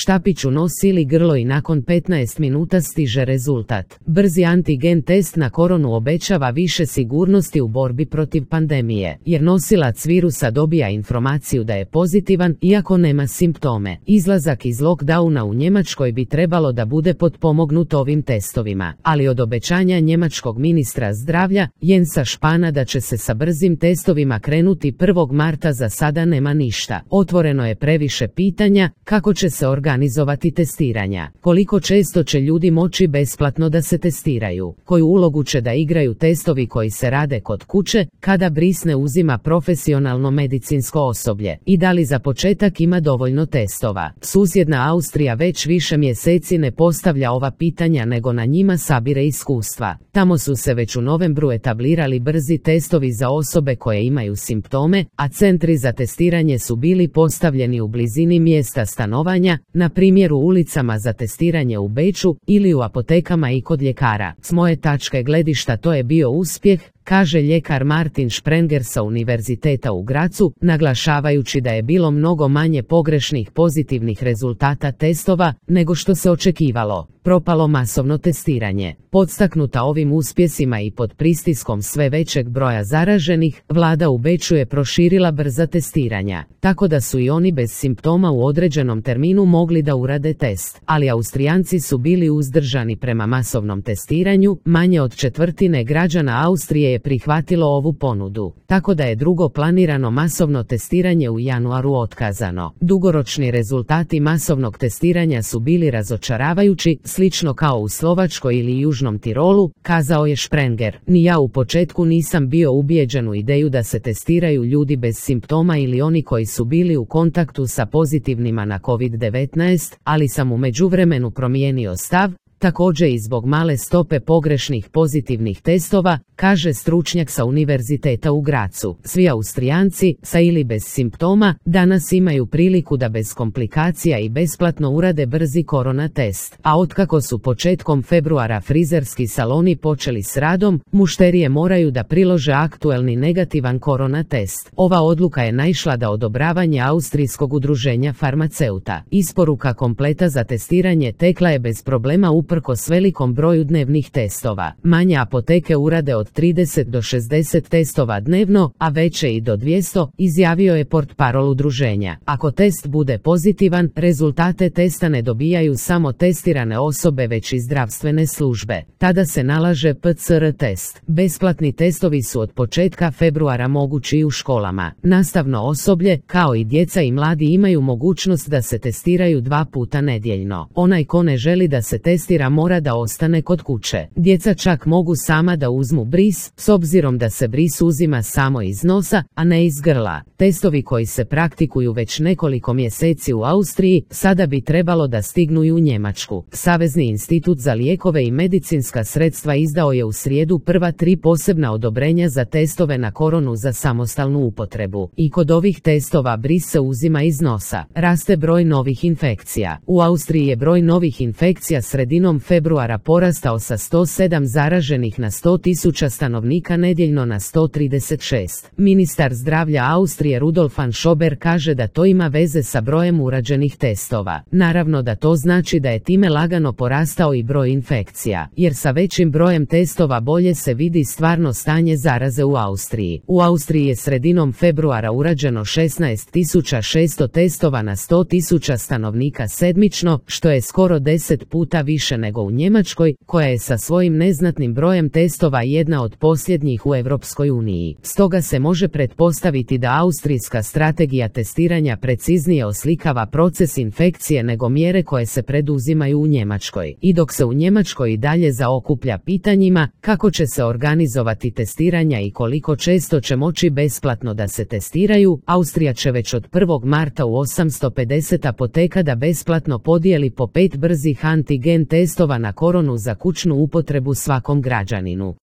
Štapić u nos ili grlo i nakon 15 minuta stiže rezultat. Brzi antigen test na koronu obećava više sigurnosti u borbi protiv pandemije, jer nosilac virusa dobija informaciju da je pozitivan iako nema simptome. Izlazak iz lockdowna u Njemačkoj bi trebalo da bude potpomognut ovim testovima, ali od obećanja njemačkog ministra zdravlja Jensa Spahna da će se sa brzim testovima krenuti 1. marta za sada nema ništa. Otvoreno je previše pitanja kako će se organizovati testiranja, koliko često će ljudi moći besplatno da se testiraju, koju ulogu će da igraju testovi koji se rade kod kuće kada bris ne uzima profesionalno medicinsko osoblje i da li za početak ima dovoljno testova. Susjedna Austrija već više mjeseci ne postavlja ova pitanja nego na njima sabire iskustva. Tamo su se već u novembru etablirali brzi testovi za osobe koje imaju simptome, a centri za testiranje su bili postavljeni u blizini mjesta stanovanja, na primjer u ulicama za testiranje u Beču ili u apotekama i kod ljekara. S moje tačke gledišta to je bio uspjeh, kaže ljekar Martin Sprenger sa Univerziteta u Grazu, naglašavajući da je bilo mnogo manje pogrešnih pozitivnih rezultata testova nego što se očekivalo. Propalo masovno testiranje. Podstaknuta ovim uspjesima i pod pritiskom sve većeg broja zaraženih, vlada u Beču je proširila brza testiranja, tako da su i oni bez simptoma u određenom terminu mogli da urade test. Ali Austrijanci su bili uzdržani prema masovnom testiranju, manje od četvrtine građana Austrije je prihvatilo ovu ponudu, tako da je drugo planirano masovno testiranje u januaru otkazano. Dugoročni rezultati masovnog testiranja su bili razočaravajući, slično kao u Slovačkoj ili Južnom Tirolu, kazao je Sprenger. Ni ja u početku nisam bio ubijeđen u ideju da se testiraju ljudi bez simptoma ili oni koji su bili u kontaktu sa pozitivnima na COVID-19, ali sam u međuvremenu promijenio stav, također i zbog male stope pogrešnih pozitivnih testova, kaže stručnjak sa Univerziteta u Grazu. Svi Austrijanci, sa ili bez simptoma, danas imaju priliku da bez komplikacija i besplatno urade brzi korona test. A otkako su početkom februara frizerski saloni počeli s radom, mušterije moraju da prilože aktuelni negativan korona test. Ova odluka je naišla da odobravanje Austrijskog udruženja farmaceuta. Isporuka kompleta za testiranje tekla je bez problema uprkos velikom broju dnevnih testova. Manje apoteke urade od 30 do 60 testova dnevno, a veće i do 200, izjavio je portparol udruženja. Ako test bude pozitivan, rezultate testa ne dobijaju samo testirane osobe već i zdravstvene službe. Tada se nalaže PCR test. Besplatni testovi su od početka februara mogući i u školama. Nastavno osoblje, kao i djeca i mladi imaju mogućnost da se testiraju 2 puta nedjeljno. Onaj ko ne želi da se testira mora da ostane kod kuće. Djeca čak mogu sama da uzmu bris, s obzirom da se bris uzima samo iz nosa, a ne iz grla. Testovi koji se praktikuju već nekoliko mjeseci u Austriji, sada bi trebalo da stignu i u Njemačku. Savezni institut za lijekove i medicinska sredstva izdao je u srijedu prva 3 posebna odobrenja za testove na koronu za samostalnu upotrebu. I kod ovih testova bris se uzima iz nosa. Raste broj novih infekcija. U Austriji je broj novih infekcija sredinom februara porastao sa 107 zaraženih na 100.000 stanovnika nedjeljno na 136. Ministar zdravlja Austrije Rudolf van Schober kaže da to ima veze sa brojem urađenih testova. Naravno da to znači da je time lagano porastao i broj infekcija, jer sa većim brojem testova bolje se vidi stvarno stanje zaraze u Austriji. U Austriji je sredinom februara urađeno 16.600 testova na 100.000 stanovnika sedmično, što je skoro 10 puta više nego u Njemačkoj, koja je sa svojim neznatnim brojem testova jedna od posljednjih u Europskoj uniji. Stoga se može pretpostaviti da austrijska strategija testiranja preciznije oslikava proces infekcije nego mjere koje se preduzimaju u Njemačkoj. I dok se u Njemačkoj i dalje zaokuplja pitanjima kako će se organizovati testiranja i koliko često će moći besplatno da se testiraju, Austrija će već od 1. marta u 850 apoteka da besplatno podijeli po 5 brzih antigen testova na koronu za kućnu upotrebu svakom građaninu.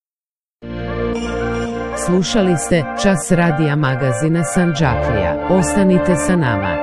Slušali ste Čas radija magazina Sandžaklija. Ostanite sa nama.